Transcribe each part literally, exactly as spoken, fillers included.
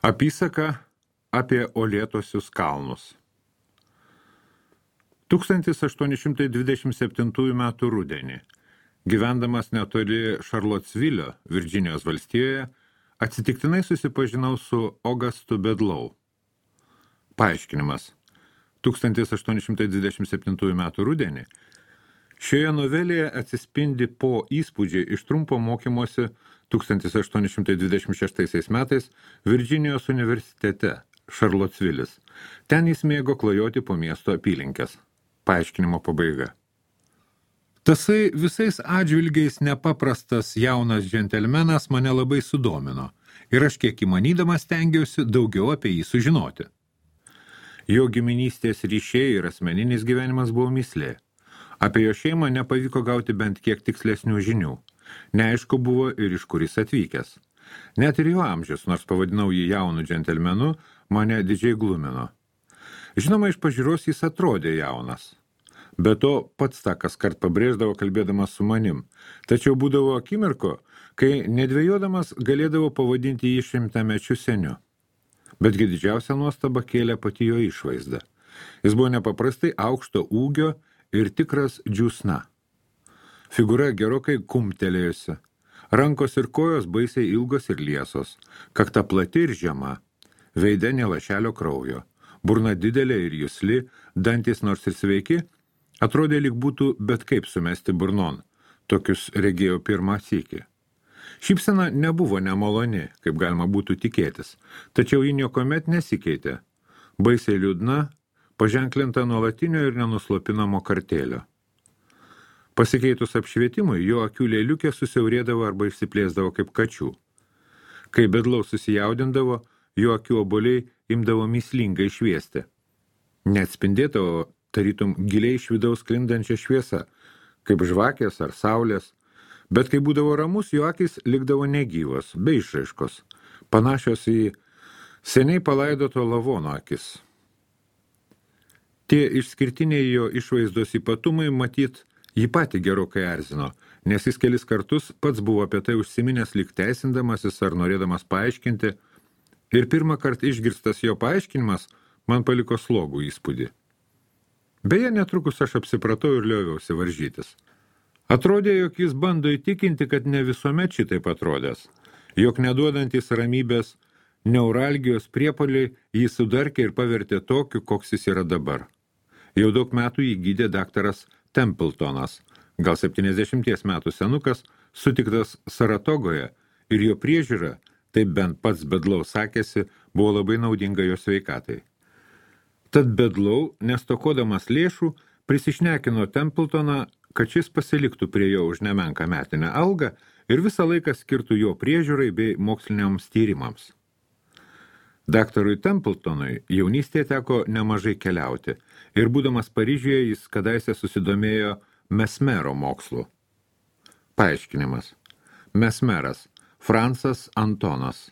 Apysaka apie uolėtuosius kalnus. tūkstantis aštuoni šimtai dvidešimt septintųjų metų rudenį, gyvendamas netoli Šarlotsvilio, Virdžinijos valstijoje, atsitiktinai susipažinau su Augustu Bedlau. Paaiškinimas. tūkstantis aštuoni šimtai dvidešimt septintųjų metų rudenį šioje novelėje atsispindi po įspūdžiai iš trumpo mokymosi tūkstantis aštuoni šimtai dvidešimt šeštaisiais metais Virdžinijos universitete Šarlotsvilis. Ten jis mėgo klajoti po miesto apylinkes. Paaiškinimo pabaiga. Tasai visais atžvilgiais nepaprastas jaunas džentelmenas mane labai sudomino ir aš kiek įmanydamas stengiausi daugiau apie jį sužinoti. Jo giminystės ryšiai ir asmeninis gyvenimas buvo mįslė. Apie jo šeimą nepavyko gauti bent kiek tikslesnių žinių. Neaišku buvo ir iš kur jis atvykęs. Net ir jo amžius, nors pavadinau jį jaunu džentelmenu, mane didžiai glumino. Žinoma, iš pažiūros jis atrodė jaunas. Be to, pats tą kaskart pabrėždavo kalbėdamas su manim. Tačiau būdavo akimirko, kai nedvėjodamas galėdavo pavadinti jį šimtamečiu seniu. Betgi didžiausia nuostaba kėlė pati jo išvaizda. Jis buvo nepaprastai aukšto ūgio ir tikras džiūsna. Figūra gerokai kumtelėjusi. Rankos ir kojos baisiai ilgos ir liesos. Kakta plati ir žema. Veide nė lašelio kraujo. Burna didelė ir jusli, dantys nors ir sveiki, atrodė lyg būtų bet kaip sumesti burnon. Tokius regėjau pirmą sykį. Šypsena nebuvo nemaloni, kaip galima būtų tikėtis, tačiau ji niekuomet nesikeitė. Baisiai liūdna, paženklinta nuolatinio ir nenuslopinamo kartėlio. Pasikeitus apšvietimui, jo akių lėliukė susiaurėdavo arba išsiplėsdavo kaip kačių. Kai Bedlau susijaudindavo, jo akių obuoliai imdavo mįslingai šviesti. Neatspindėdavo tarytum giliai iš vidaus sklindančią šviesą, kaip žvakės ar saulės, bet kai būdavo ramus, jo akys likdavo negyvos, be išraiškos, panašios į seniai palaidoto lavono akis. Tie išskirtiniai jo išvaizdos ypatumai matyt jį patį gerokai erzino, nes jis kelis kartus pats buvo apie tai užsiminęs lyg teisindamasis ar norėdamas paaiškinti, ir pirmą kartą išgirstas jo paaiškinimas man paliko slogų įspūdį. Beje, netrukus aš apsipratau ir lioviausi varžytis. Atrodė, jog jis bando įtikinti, kad ne visuomet šitaip atrodęs, jog neduodantis ramybės neuralgijos priepuoliai jį sudarkė ir pavertė tokiu, koks jis yra dabar. Jau daug metų jį gydė daktaras Templetonas, gal septyniasdešimties metų senukas, sutiktas Saratogoje, ir jo priežiūra, taip bent pats Bedlau sakėsi, buvo labai naudinga jo sveikatai. Tad Bedlau, nestokodamas lėšų, prisišnekino Templetoną, kad šis pasiliktų prie jo už nemenką metinę algą ir visą laiką skirtų jo priežiūrai bei moksliniams tyrimams. Daktarui Templetonui jaunystėje teko nemažai keliauti ir būdamas Paryžiuje jis kadaise susidomėjo mesmero mokslu. Paaiškinimas. Mesmeras. Francas Antonas.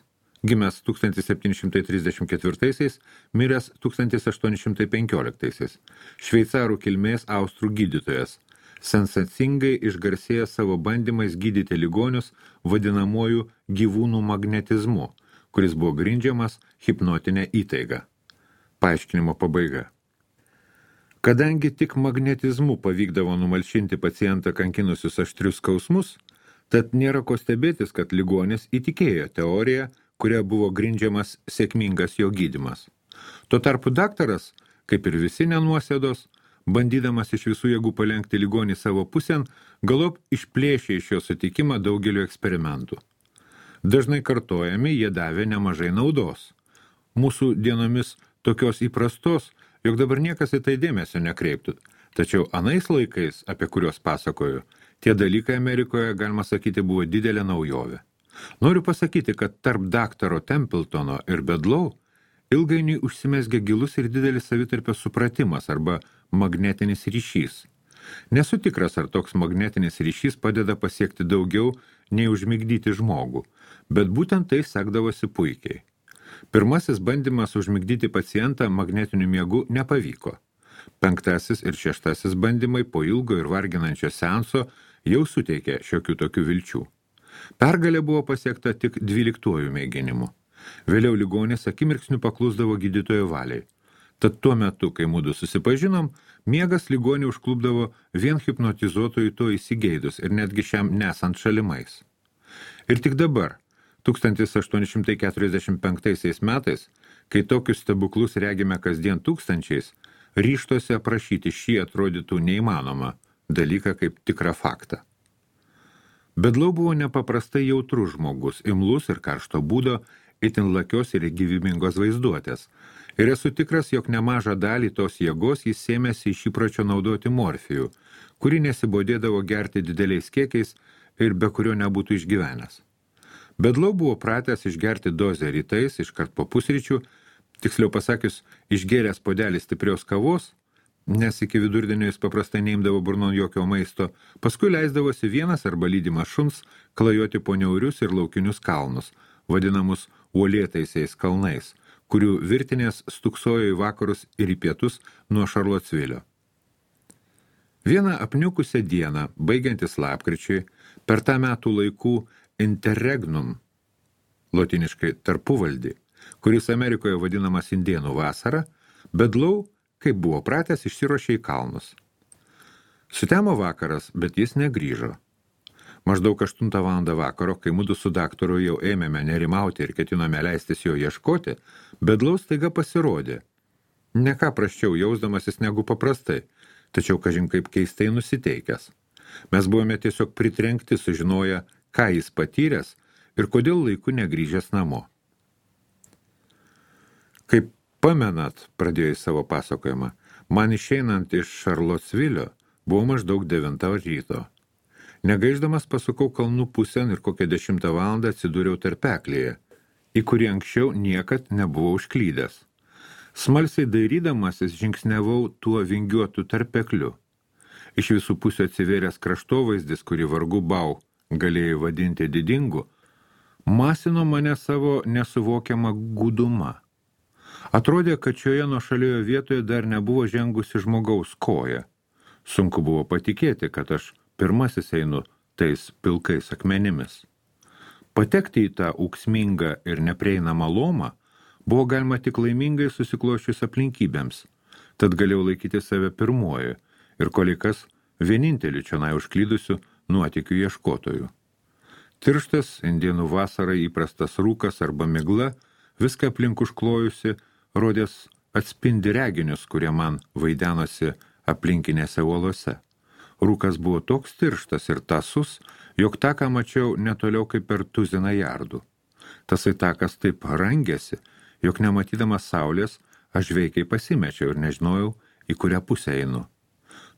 Gimęs tūkstantis septyni šimtai trisdešimt ketvirtaisiais, miręs tūkstantis aštuoni šimtai penkioliktaisiais. Šveicarų kilmės austrų gydytojas. Sensacingai išgarsėjęs savo bandymais gydyti ligonius vadinamuoju gyvūnų magnetizmu, kuris buvo grindžiamas hipnotinė įtaiga. Paaiškinimo pabaiga. Kadangi tik magnetizmu pavykdavo numalšinti pacientą kankinusius aštrius skausmus, tad nėra ko stebėtis, kad ligonis įtikėjo teoriją, kuria buvo grindžiamas sėkmingas jo gydymas. Tuo tarpu daktaras, kaip ir visi nenuosėdos, bandydamas iš visų jėgų palenkti ligonį savo pusėn, galop išplėšė iš jo sutikimą daugeliu eksperimentų. Dažnai kartojami jie davė nemažai naudos. Mūsų dienomis tokios įprastos, jog dabar niekas į tai dėmesio nekreiptų. Tačiau anais laikais, apie kuriuos pasakoju, tie dalykai Amerikoje, galima sakyti, buvo didelė naujovė. Noriu pasakyti, kad tarp daktaro Templetono ir Bedlau ilgainiui užsimezgė gilus ir didelis savitarpio supratimas arba magnetinis ryšys. Nesu tikras, ar toks magnetinis ryšys padeda pasiekti daugiau nei užmigdyti žmogų, bet būtent tai sekdavosi puikiai. Pirmasis bandymas užmigdyti pacientą magnetiniu miegu nepavyko. Penktasis ir šeštasis bandymai po ilgo ir varginančio seanso jau suteikė šiokių tokių vilčių. Pergalė buvo pasiekta tik dvyliktuoju mėginimu. Vėliau ligonis akimirksniu paklusdavo gydytojo valiai. Tad tuo metu, kai mudu susipažinom, miegas ligonį užklupdavo vien hipnotizuotojų to įsigeidus ir netgi šiam nesant šalimais. Ir tik dabar, tūkstantis aštuoni šimtai keturiasdešimt penktaisiais metais, kai tokius stebuklus regime kasdien tūkstančiais, ryžtose aprašyti šį atrodytų neįmanomą dalyką kaip tikrą faktą. Bedlau buvo nepaprastai jautrus žmogus, imlus ir karšto būdo, itin lakios ir gyvybingos vaizduotės. Ir esu tikras, jog nemažą dalį tos jėgos jis sėmėsi iš įpročio naudoti morfijų, kurį nesibodėdavo gerti dideliais kiekiais ir be kurio nebūtų išgyvenęs. Bedlau buvo pratęs išgerti dozę rytais, iškart po pusryčių, tiksliau pasakius, išgėręs puodelį stiprios kavos, nes iki vidurdienio jis paprastai neimdavo burnon jokio maisto, paskui leisdavosi vienas arba lydimas šuns klajoti po niaurius ir laukinius kalnus, vadinamus uolėtaisiais kalnais, kurių virtinės stuksojo į vakarus ir į pietus nuo Šarlotsvilio. Vieną apniukusią dieną, baigiantis lapkričiui, per tą metų laikų interregnum, lotiniškai tarpuvaldį, kuris Amerikoje vadinamas indėnų vasara, Bedlau, kaip buvo pratęs, išsiruošė į kalnus. Sutemo vakaras, bet jis negrįžo. Maždaug aštuntą valandą vakaro, kai mudu su daktaru jau ėmėme nerimauti ir ketinome leistis jo ieškoti, Bedlau staiga pasirodė. Ne ką prasčiau jausdamasis negu paprastai, tačiau kažin kaip keistai nusiteikęs. Mes buvome tiesiog pritrenkti sužinoję, ką jis patyręs ir kodėl laiku negrįžęs namo. Kaip pamenat, pradėjo į savo pasakojimą, man išeinant iš Šarlotsvilio buvo maždaug devintą ryto. Negaiždamas pasukau kalnų pusėn ir kokią dešimtą valandą atsidūriau tarpeklėje, į kurį anksčiau niekad nebuvau užklydęs. Smalsiai dairydamasis žingsniavau tuo vingiuotu tarpekliu. Iš visų pusių atsivėręs kraštovaizdis, kurį vargu bau galėjai vadinti didingu, masino mane savo nesuvokiamą gudumą. Atrodė, kad šioje nuošalioje vietoje dar nebuvo žengusi žmogaus koja. Sunku buvo patikėti, kad aš pirmasis einu tais pilkais akmenimis. Patekti į tą ūksmingą ir neprieinamą lomą buvo galima tik laimingai susiklošius aplinkybėms, tad galėjau laikyti save pirmuoju ir kolikas vienintelį čionai užklydusių nuotykių ieškotojų. Tirštas indėnų vasarai įprastas rūkas arba migla, viską aplink užklojusi, rodės atspindi reginius, kurie man vaidenosi aplinkinėse uolose. Rūkas buvo toks tirštas ir tasus, jog taką mačiau netoliau kaip per tuziną jardų. Tasai takas taip rangėsi, jog nematydamas saulės, aš veikiai pasimečiau ir nežinojau, į kurią pusę einu.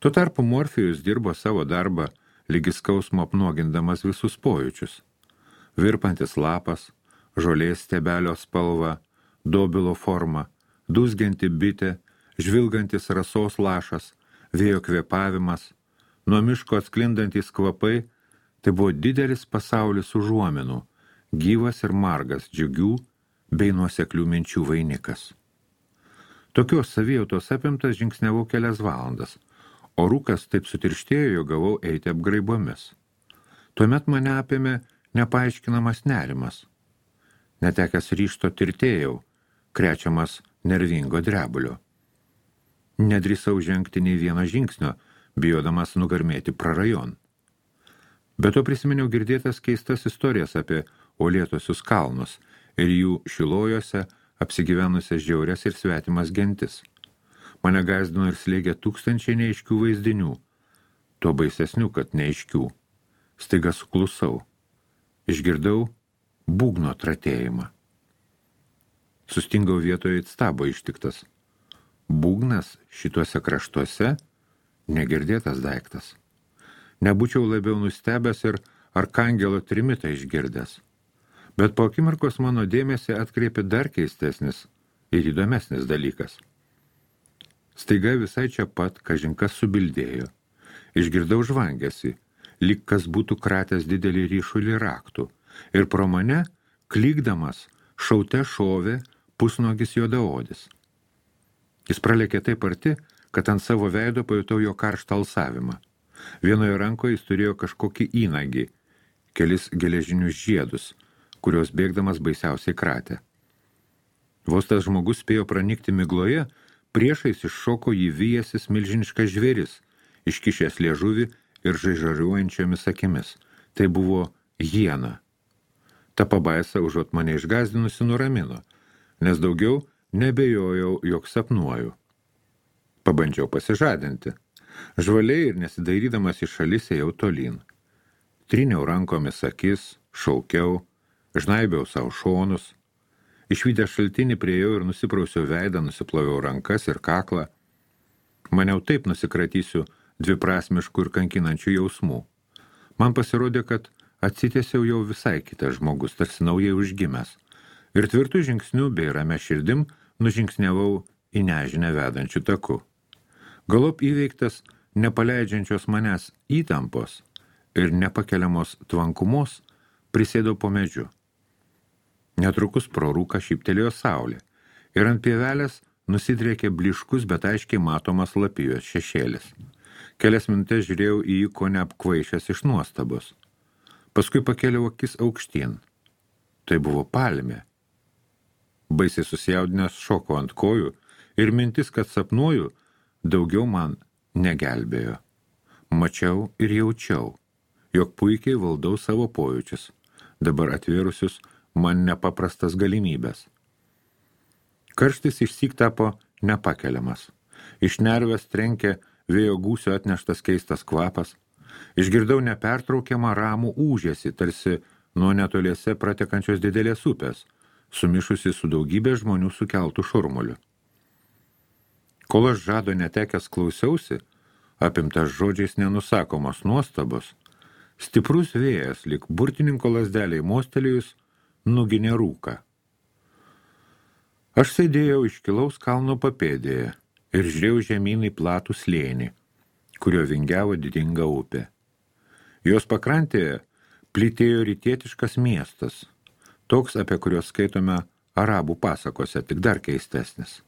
Tuo tarpu Morfijus dirbo savo darbą, lygi skausmo apnuogindamas visus pojūčius. Virpantis lapas, žolės stiebelio spalva, dobilo forma, dūzgianti bitė, žvilgantis rasos lašas, vėjo kvėpavimas, nuo miško atsklindantis kvapai, tai buvo didelis pasaulis užuominų, gyvas ir margas džiugių bei nuoseklių minčių vainikas. Tokios savijautos apimtas žingsniavau kelias valandas, o rūkas taip sutirštėjo, jog gavau eiti apgraibomis. Tuomet mane apėmė nepaaiškinamas nerimas. Netekęs ryžto tirtėjau, krečiamas nervingo drebulio. Nedrįsau žengti nei vieno žingsnio, bijodamas nugarmėti prarajon. Be to prisiminiau girdėtas keistas istorijas apie uolėtosius kalnus ir jų šilojose apsigyvenusias žiaurias ir svetimas gentis. Mane gąsdino ir slėgė tūkstančiai neaiškių vaizdinių, tuo baisesnių, kad neaiškių. Staiga suklusau. Išgirdau būgno tratėjimą. Sustingau vietoje it stabo ištiktas. Būgnas šituose kraštuose negirdėtas daiktas. Nebūčiau labiau nustebęs ir arkangelo trimitą išgirdęs. Bet po akimirkos mano dėmesį atkreipė dar keistesnis ir įdomesnis dalykas. Staiga visai čia pat kažinkas subildėjo. Išgirdau žvangėsi, lyg kas būtų kratęs didelį ryšulį raktų, ir pro mane, klykdamas, šaute šovė pusnuogis juodaodis. Jis pralėkė taip arti, kad ant savo veido pajutau jo karštą alsavimą. Vienoje rankoje jis turėjo kažkokį įnagį, kelis geležinius žiedus, kurios bėgdamas baisiausiai kratė. Vos tas žmogus spėjo pranikti migloje, priešais iššoko jį vyjasis milžiniškas žvėris, iškišęs liežuvį ir žaižariuojančiomis akimis. Tai buvo hiena. Ta pabaisa užuot mane išgąsdinusi nuramino, nes daugiau nebejojau, jog sapnuoju. Pabandžiau pasižadinti. Žvaliai ir nesidairydamas į šalis ėjau tolyn. Tryniau rankomis akis, šaukiau, žnaibiau savo šonus. Išvydęs šaltinį priejau ir nusiprausiau veidą, nusiploviau rankas ir kaklą. Maniau taip nusikratysiu dviprasmiškų ir kankinančių jausmų. Man pasirodė, kad atsitiesiau jau visai kitas žmogus, tarsi naujai užgimęs. Ir tvirtų žingsnių bei ramia širdim nužingsniavau į nežinę vedančių taku. Galop įveiktas nepaleidžiančios manęs įtampos ir nepakeliamos tvankumos prisėdau po medžiu. Netrukus pro rūką šyptelėjo saulė ir ant pievelės nusidriekė bliškus, bet aiškiai matomas lapijos šešėlis. Kelias minutės žiūrėjau į jį, ko neapkvaišęs iš nuostabos. Paskui pakėliau akis aukštyn. Tai buvo palmė. Baisiai susijaudinęs šoko ant kojų ir mintis, kad sapnuoju, daugiau man negelbėjo. Mačiau ir jaučiau, jog puikiai valdau savo pojūčius, dabar atvėrusius man nepaprastas galimybės. Karštis išsyk tapo nepakeliamas. Iš nervės trenkė vėjo gūsio atneštas keistas kvapas. Išgirdau nepertraukiamą ramų ūžesį, tarsi nuo netoliese pratekančios didelės upės, sumišusi su daugybė žmonių sukeltų šurmuliu. Kol aš žado netekęs klausiausi, apimtas žodžiais nenusakomos nuostabos, stiprus vėjas, lyg burtininko lazdeliai mostelėjus, nuginė rūką. Aš sėdėjau iškilaus kalno papėdėje ir žiūrėjau žemyn į platų slėnį, kurio vingiavo didinga upė. Jos pakrantėje plytėjo rytietiškas miestas, toks, apie kurios skaitome arabų pasakose, tik dar keistesnis.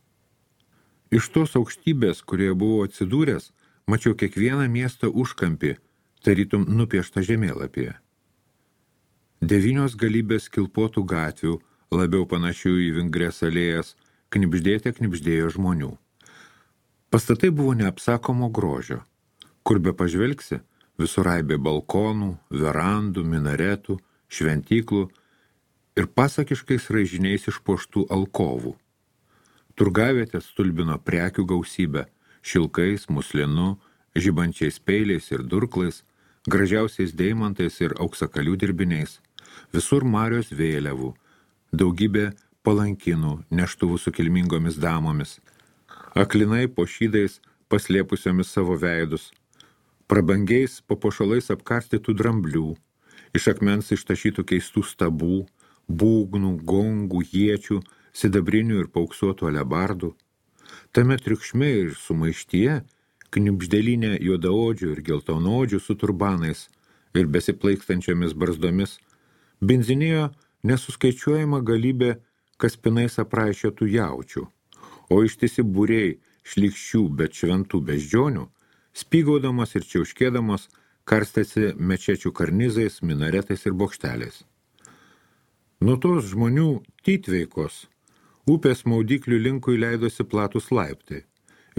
Iš tos aukštybės, kurioje buvau atsidūręs, mačiau kiekvieną miesto užkampį, tarytum nupieštą žemėlapyje. Devynios galybės kilpotų gatvių, labiau panašių į vingres alėjas, knibždėte knibždėjo žmonių. Pastatai buvo neapsakomo grožio, kur be pažvelgsi, visur aibė balkonų, verandų, minaretų, šventyklų ir pasakiškais raižiniais išpuoštų alkovų. Turgavietės stulbino prekių gausybę, šilkais, muslinu, žibančiais peiliais ir durklais, gražiausiais deimantais ir auksakalių dirbiniais. Visur marios vėliavų, daugybė palankinų, neštuvų su kilmingomis damomis, aklinai po šydais paslėpusiomis savo veidus, prabangiais papuošalais apkarstytų dramblių, iš akmens ištašytų keistų stabų, būgnų, gongų, iečių, sidabrinių ir pauksuotų alebardų. Tame triukšme ir sumaištyje knibždelinė juodaodžių ir geltonodžių su turbanais ir besiplaikstančiomis barzdomis benzinėjo nesuskaičiuojama galybė kaspinais apraišėtų jaučių, o ištisi būriai šlykščių, bet šventų beždžionių, spygaudamas ir čiauškėdamas, karstėsi mečečių karnizais, minaretais ir bokšteliais. Nuo tos žmonių tytveikos upės maudyklių linkui leidosi platus laiptai,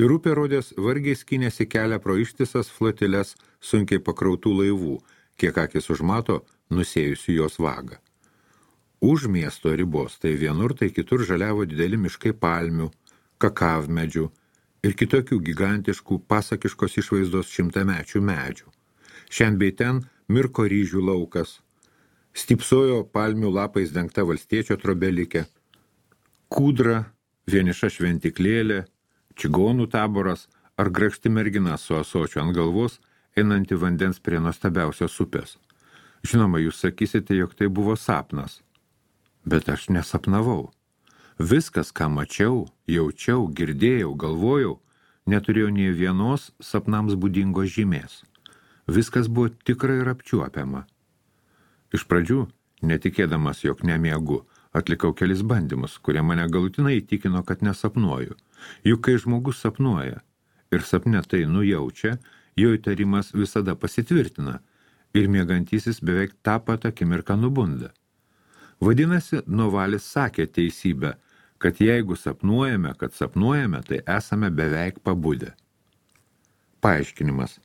ir upė rodės vargiai skynėsi kelią pro ištisas flotiles sunkiai pakrautų laivų, kiek akis užmato nusėjusių jos vagą. Už miesto ribos tai vienur, tai kitur žaliavo dideli miškai palmių, kakavmedžių ir kitokių gigantiškų pasakiškos išvaizdos šimtamečių medžių. Šiandien bei ten mirko ryžių laukas, stypsojo palmių lapais dengta valstiečio trobelikė, kūdra, vieniša šventiklėlė, čigonų taboras ar grakšti mergina su ąsočiu ant galvos, einanti vandens prie nuostabiausios upės. Žinoma, jūs sakysite, jog tai buvo sapnas. Bet aš nesapnavau. Viskas, ką mačiau, jaučiau, girdėjau, galvojau, neturėjo nė vienos sapnams būdingos žymės. Viskas buvo tikra ir apčiuopiama. Iš pradžių, netikėdamas, jog nemiegu, atlikau kelis bandymus, kurie mane galutinai įtikino, kad nesapnuoju. Juk kai žmogus sapnuoja ir sapne tai nujaučia, jo įtarimas visada pasitvirtina ir miegantysis beveik tą pat akimirką nubunda. Vadinasi, Novalis sakė teisybę, kad jeigu sapnuojame, kad sapnuojame, tai esame beveik pabudę. Paaiškinimas.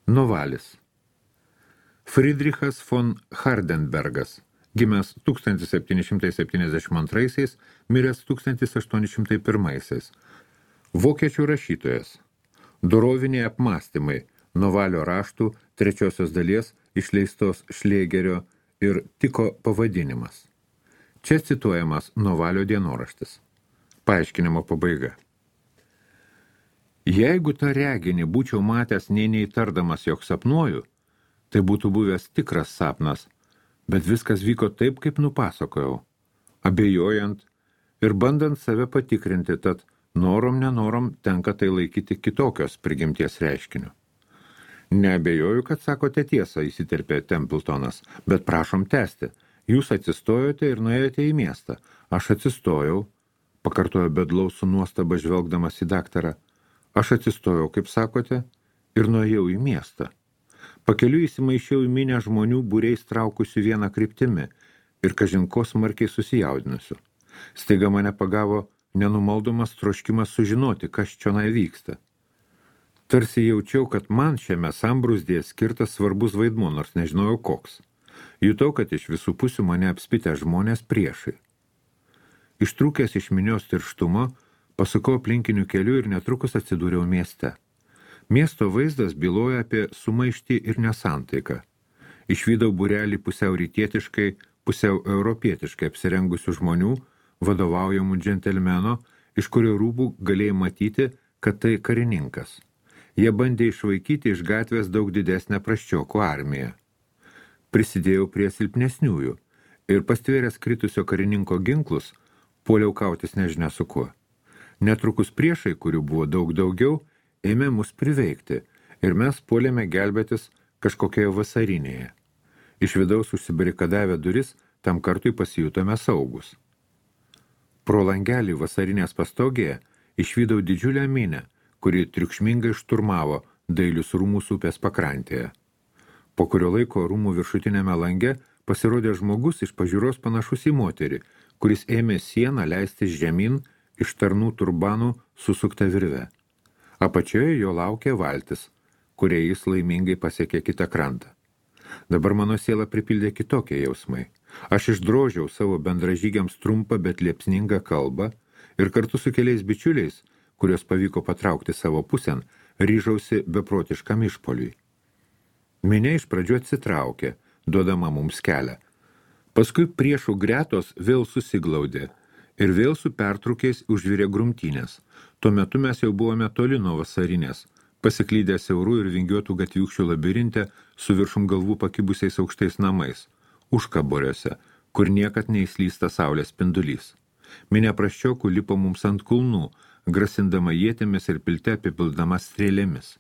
Novalis. Friedrichas von Hardenbergas, gimęs tūkstantis septyni šimtai septyniasdešimt antraisiais, miręs tūkstantis aštuoni šimtai pirmaisiais. Vokiečių rašytojas. Doroviniai apmąstymai, Novalio raštų trečiosios dalies išleistos Šlėgerio ir Tiko pavadinimas. Čia cituojamas Novalio dienoraštis. Paaiškinimo pabaiga. Jeigu tą reginį būčiau matęs nei neįtardamas, jog sapnuoju, tai būtų buvęs tikras sapnas, bet viskas vyko taip, kaip nupasakojau, abejojant ir bandant save patikrinti, tad norom nenorom tenka tai laikyti kitokios prigimties reiškiniu. Neabejoju, kad sakote tiesą, įsiterpė Templetonas, bet prašom tęsti. Jūs atsistojote ir nuėjote į miestą. Aš atsistojau, pakartojo Bedlau su nuostaba žvelgdamas į daktarą. Aš atsistojau, kaip sakote, ir nuėjau į miestą. Pakeliu įsimaišiau į minę žmonių būriais traukusių vieną kryptimi ir kažinko smarkiai susijaudinusiu. Staiga mane pagavo nenumaldomas troškimas sužinoti, kas čionai vyksta. Tarsi jaučiau, kad man šiame sambrūzdėje skirtas svarbus vaidmuo, nors nežinojau koks. Jutau, kad iš visų pusių mane apspitę žmonės priešai. Ištrūkęs iš minios tirštumo, pasukau aplinkiniu keliu ir netrukus atsidūriau mieste. Miesto vaizdas byloja apie sumaištį ir nesantaiką. Išvydau būrelį pusiau rytietiškai, pusiau europietiškai apsirengusių žmonių, vadovaujamų džentelmeno, iš kurio rūbų galėjai matyti, kad tai karininkas. Jie bandė išvaikyti iš gatvės daug didesnę prasčiokų armiją. Prisidėjau prie silpnesniųjų ir pastvėręs kritusio karininko ginklus, puoliau kautis nežinia su kuo. Netrukus priešai, kurių buvo daug daugiau, ėmė mus priveikti ir mes puolėme gelbėtis kažkokioje vasarinėje. Iš vidaus užsibarikadavę duris, tam kartui pasijutome saugus. Pro langelį vasarinės pastogėje išvydau didžiulę minę, kuri triukšmingai šturmavo Dailius rūmus upės pakrantėje. Po kurio laiko rūmų viršutinėme lange pasirodė žmogus iš pažiūros panašus į moterį, kuris ėmė sieną leistis žemyn iš tarnų turbanų susuktą virvę. Apačioje jo laukė valtis, kurie jis laimingai pasiekė kitą krantą. Dabar mano siela pripildė kitokie jausmai. Aš išdrožiau savo bendražygiams trumpą, bet liepsningą kalbą ir kartu su keliais bičiuliais, kurios pavyko patraukti savo pusėn, ryžausi beprotiškam išpoliui. Minė iš pradžių atsitraukė, duodama mums kelią. Paskui priešų gretos vėl susiglaudė ir vėl su pertraukiais užvirė grumtynės. Tuo metu mes jau buvome toli nuo vasarinės, pasiklydę siaurų ir vingiuotų gatviukščių labirinte su viršum galvų pakibusiais aukštais namais, užkaboriuose, kur niekad neįslysta saulės spindulys. Minė prasčiokų lipo mums ant kulnų, grasindama ietėmis ir pilte apipildama strėlėmis.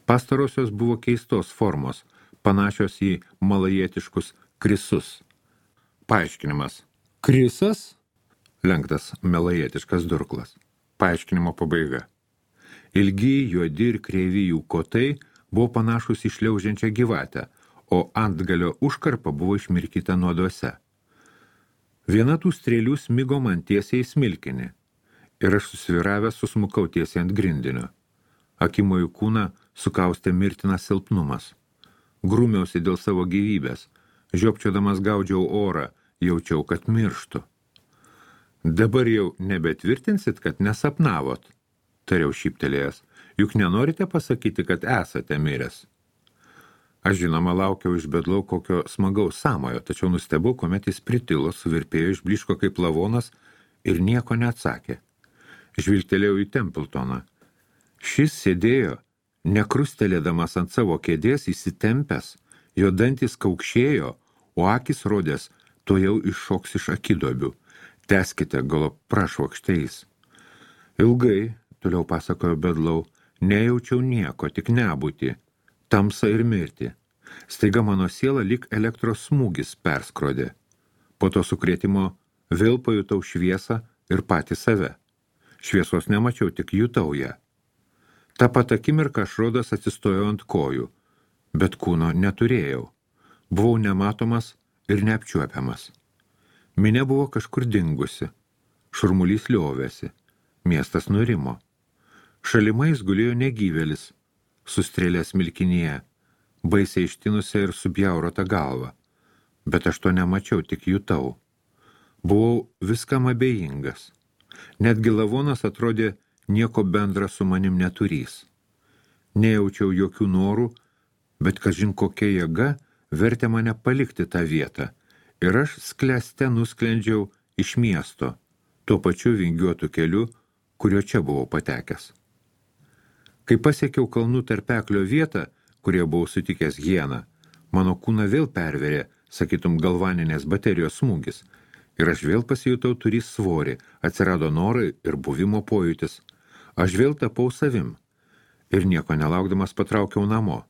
Pastarosios buvo keistos formos, panašios į malajietiškus krisus. Paaiškinimas. Krisas? Lenktas malajietiškas durklas. Paaiškinimo pabaiga. Ilgi, juodi ir kreivi jų kotai buvo panašus į šliaužiančią gyvatę, o antgalio užkarpa buvo išmirkyta nuoduose. Viena tų strėlių smigo man tiesiai į smilkinį ir aš susviravęs susmukau tiesiai ant grindinio. Akimojų kūną sukaustė mirtinas silpnumas. Grūmiausi dėl savo gyvybės, žiopčiodamas gaudžiau orą, jaučiau, kad mirštu. Dabar jau nebetvirtinsit, kad nesapnavot, tariau šyptelėjęs, juk nenorite pasakyti, kad esate miręs. Aš žinoma laukiau iš Bedlau kokio smagaus samojo, tačiau nustebau, kuomet jis pritilo, suvirpėjo, išbliško kaip lavonas ir nieko neatsakė. Žvilgtelėjau į Templetoną. Šis sėdėjo, nekrustelėdamas ant savo kėdės įsitempęs, jo dantys kaukšėjo, o akis rodės, to jau iššoks iš akiduobių. Teskite, galop prašvokšteis. Ilgai, toliau pasakojo Bedlau, nejaučiau nieko, tik nebūtį, tamsą ir mirtį. Staiga mano siela lyg elektros smūgis perskrodė. Po to sukrėtimo vėl pajutau šviesą ir patį save. Šviesos nemačiau, tik jutau ją. Ta pat akimirką aš rodos atsistojau ant kojų, bet kūno neturėjau. Buvau nematomas ir neapčiuopiamas. Minė buvo kažkur dingusi. Šurmulys liovėsi. Miestas nurimo. Šalimais gulėjo negyvėlis, sustrėlęs milkinyje, baisiai ištinusią ir subjaurotą galvą. Bet aš to nemačiau, tik jutau. Buvau viskam abejingas. Netgi lavonas atrodė nieko bendra su manim neturys. Nejaučiau jokių norų, bet kažin kokia jėga vertė mane palikti tą vietą. Ir aš sklęste nusklendžiau iš miesto, tuo pačiu vingiuotu keliu, kurio čia buvau patekęs. Kai pasiekiau kalnų tarpeklio vietą, kurie buvau sutikęs hieną, mano kūną vėl perverė, sakytum, galvaninės baterijos smūgis, ir aš vėl pasijutau turys svorį, atsirado norai ir buvimo pojūtis. Aš vėl tapau savim ir nieko nelaukdamas patraukiau namo.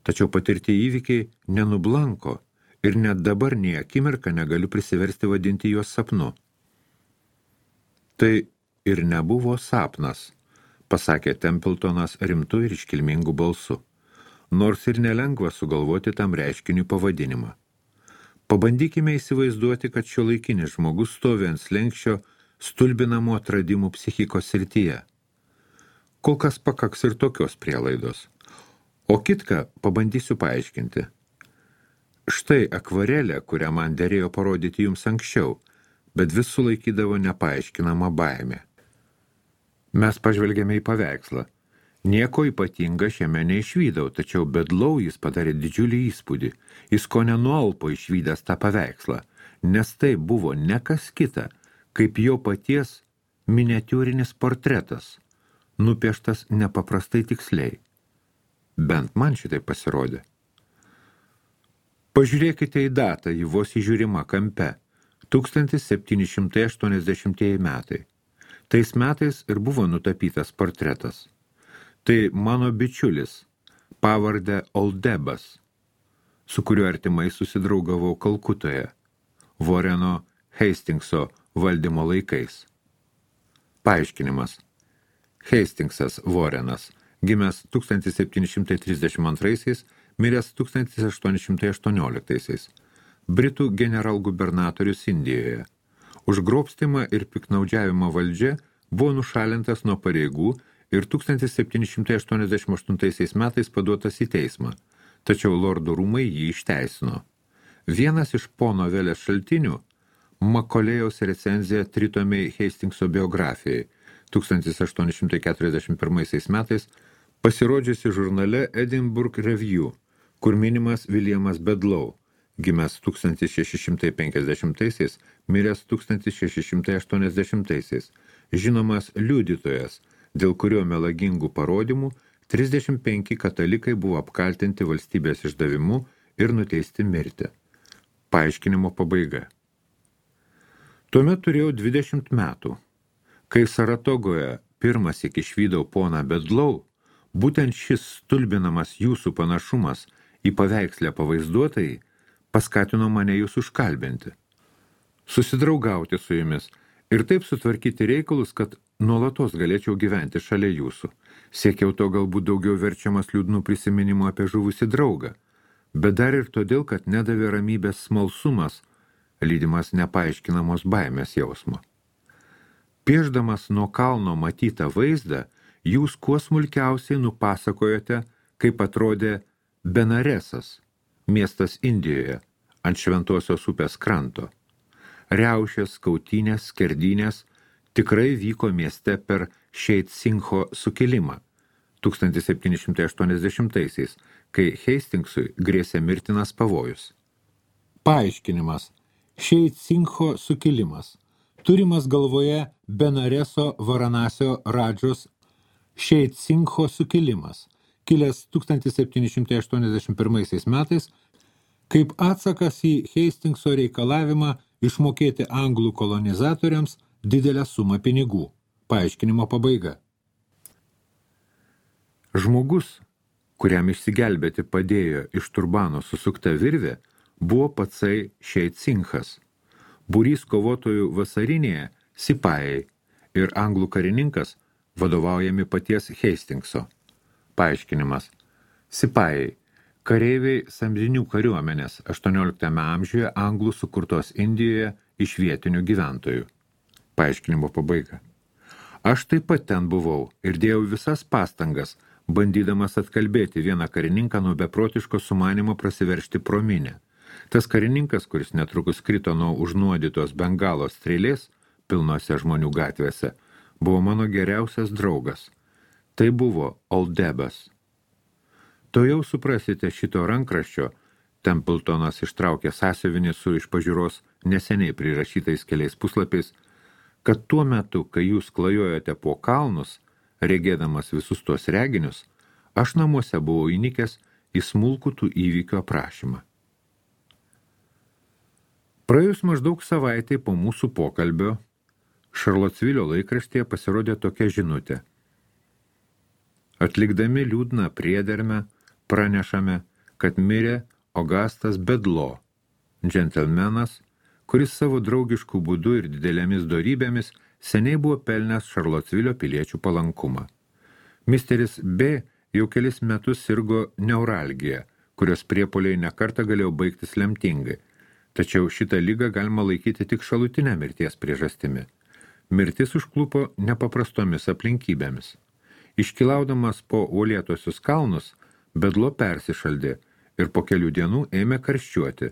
Tačiau patirti įvykiai nenublanko ir net dabar nei akimirką negaliu prisiversti vadinti juos sapnu. Tai ir nebuvo sapnas, pasakė Templetonas rimtu ir iškilmingu balsu, nors ir nelengva sugalvoti tam reiškiniui pavadinimą. Pabandykime įsivaizduoti, kad šiuolaikinis žmogus stovi ant slenksčio stulbinamų atradimų psichikos srityje. Kol kas pakaks ir tokios prielaidos. O kitką pabandysiu paaiškinti. Štai akvarelė, kurią man derėjo parodyti jums anksčiau, bet vis sulaikydavo nepaaiškinamą baimę. Mes pažvelgėme į paveikslą. Nieko ypatinga šiame neišvydau, tačiau Bedlau jis padarė didžiulį įspūdį. Jis ko nenualpo išvydęs tą paveikslą, nes tai buvo ne kas kita, kaip jo paties miniatiūrinis portretas, nupieštas nepaprastai tiksliai. Bent man šitai pasirodė. Pažiūrėkite į datą, ji vos įžiūrima kampe. tūkstantis septyni šimtai aštuoniasdešimtieji metai. Tais metais ir buvo nutapytas portretas. Tai mano bičiulis, pavardę Oldebas, su kuriuo artimai susidraugavau Kalkutoje, Warreno Hastingso valdymo laikais. Paaiškinimas. Hastingsas Warrenas, gimęs tūkstantis septyni šimtai trisdešimt antraisiais, miręs tūkstantis aštuoni šimtai aštuonioliktaisiais, Britų generalgubernatorius Indijoje. Už grobstymą ir piknaudžiavimą valdžia buvo nušalintas nuo pareigų ir tūkstantis septyni šimtai aštuoniasdešimt aštuntaisiais metais paduotas į teismą, tačiau lordų rūmai jį išteisino. Vienas iš po novelės šaltinių – Makolėjaus recenzija tritomiai Hastingso biografijai tūkstantis aštuoni šimtai keturiasdešimt pirmaisiais metais pasirodžiusi žurnale Edinburgh Review, kur minimas Williamas Bedlau, gimęs tūkstantis šeši šimtai penkiasdešimtaisiais, miręs tūkstantis šeši šimtai aštuoniasdešimtaisiais, žinomas liudytojas, dėl kurio melagingų parodymų trisdešimt penki katalikai buvo apkaltinti valstybės išdavimu ir nuteisti mirti. Paaiškinimo pabaiga. Tuomet turėjau dvidešimt metų. Kai Saratogoje pirmąsyk išvydau poną Bedlau, būtent šis stulbinamas jūsų panašumas į paveikslę pavaizduotai paskatino mane jūs užkalbinti, susidraugauti su jumis ir taip sutvarkyti reikalus, kad nuolatos galėčiau gyventi šalia jūsų. Siekiau to galbūt daugiau verčiamas liūdnų prisiminimų apie žuvusį draugą, bet dar ir todėl, kad nedavė ramybės smalsumas, lydimas nepaaiškinamos baimės jausmo. Piešdamas nuo kalno matytą vaizdą, jūs kuo smulkiausiai nupasakojote, kaip atrodė Benaresas, miestas Indijoje, ant Šventosios upės kranto. Riaušės, kautynės, skerdynės tikrai vyko mieste per Šeit Singho sukilimą tūkstantis septyni šimtai aštuoniasdešimtaisiais, kai Hastingsui grėsė mirtinas pavojus. Paaiškinimas. Šeit Singho sukilimas. Turimas galvoje Benareso Varanasio Radžos Šeit Singho sukilimas, kilęs tūkstantis septyni šimtai aštuoniasdešimt pirmaisiais metais, kaip atsakas į Hastingso reikalavimą išmokėti anglų kolonizatoriams didelę sumą pinigų. Paaiškinimo pabaiga. Žmogus, kuriam išsigelbėti padėjo iš turbano susukta virvė, buvo patsai Šeit Singhas. Būrys kovotojų vasarinėje Sipajai ir anglų karininkas vadovaujami paties Hastingso. Paaiškinimas. Sipajai. Kareiviai samdinių kariuomenės aštuonioliktame amžiuje anglų sukurtos Indijoje iš vietinių gyventojų. Paaiškinimo pabaiga. Aš taip pat ten buvau ir dėjau visas pastangas, bandydamas atkalbėti vieną karininką nuo beprotiško sumanimo prasiveršti pro minią. Tas karininkas, kuris netrukus krito nuo užnuodytos bengalos strėlės, pilnose žmonių gatvėse, buvo mano geriausias draugas. Tai buvo Oldebas. To jau suprasite šito rankraščio, Templetonas ištraukė sąsiuvinį su iš pažiūros neseniai prirašytais keliais puslapiais, kad tuo metu, kai jūs klajojote po kalnus, regėdamas visus tuos reginius, aš namuose buvau įnikęs į smulkų tų įvykių aprašymą. Praėjus maždaug savaitai po mūsų pokalbio, Šarlotsvilio laikraštyje pasirodė tokia žinutė. Atlikdami liūdną priedermę, pranešame, kad mirė Augustas Bedlo, džentelmenas, kuris savo draugiškų būdų ir didelėmis dorybėmis seniai buvo pelnęs Šarlotsvilio piliečių palankumą. Misteris B jau kelis metus sirgo neuralgija, kurios priepuoliai nekartą galėjo baigtis lemtingai, tačiau šitą ligą galima laikyti tik šalutinę mirties priežastimi. Mirtis užklupo nepaprastomis aplinkybėmis. Iškilaudamas po uolėtosius kalnus, Bedlo persišaldė ir po kelių dienų ėmė karščiuoti.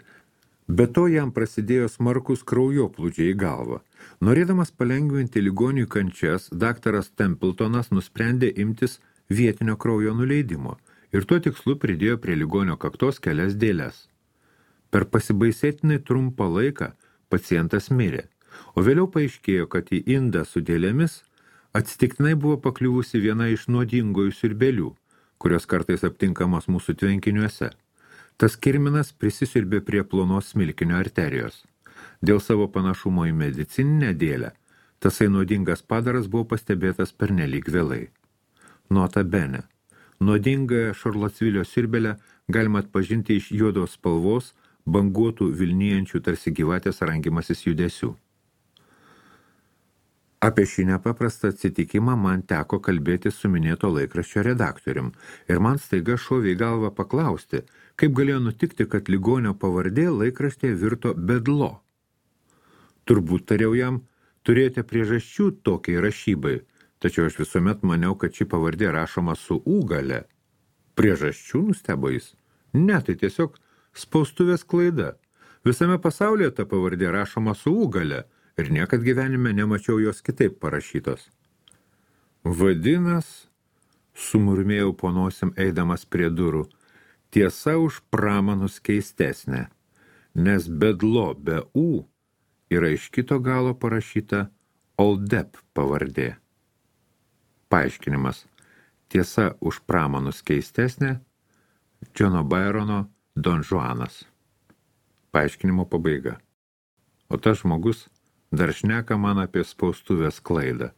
Be to jam prasidėjo smarkus kraujoplūdžiai į galvą. Norėdamas palengvinti ligonių kančias, daktaras Templetonas nusprendė imtis vietinio kraujo nuleidimo ir tuo tikslu pridėjo prie ligonio kaktos kelias dėles. Per pasibaisėtinai trumpą laiką pacientas mirė, o vėliau paaiškėjo, kad į indą su dėlėmis atsitiktinai buvo pakliuvusi viena iš nuodingojų siurbelių, kurios kartais aptinkamos mūsų tvenkiniuose. Tas kirminas prisisiurbė prie plonos smilkinio arterijos. Dėl savo panašumo į medicininę dėlę, tasai nuodingas padaras buvo pastebėtas pernelyg vėlai. Nota bene. Nuodingąją Šarlotsvilio siurbelę galima atpažinti iš juodos spalvos, banguotų vilnijančių tarsi gyvatės rangimasis judesių. Apie šį nepaprastą atsitikimą man teko kalbėti su minėto laikraščio redaktorium ir man staiga šovė į galvą paklausti, kaip galėjo nutikti, kad ligonio pavardė laikraštėje virto Bedlo. Turbūt tariau jam, turėjote priežasčių tokiai rašybai, tačiau aš visuomet maniau, kad ši pavardė rašoma su U gale. Priežasčių, nustebo jis? Ne, tai tiesiog spaustuvės klaida. Visame pasaulyje ta pavardė rašoma su U gale ir niekad gyvenime nemačiau jos kitaip parašytos. Vadinas, sumurmėjau po nosim eidamas prie durų, tiesa už pramanus keistesnė, nes Bedlo be U yra iš kito galo parašyta Oldeb pavardė. Paaiškinimas. Tiesa už pramanus keistesnė, Džono Byrono Don Juanas. Paaiškinimo pabaiga. O tas žmogus dar šneka man apie spaustuvės klaidą.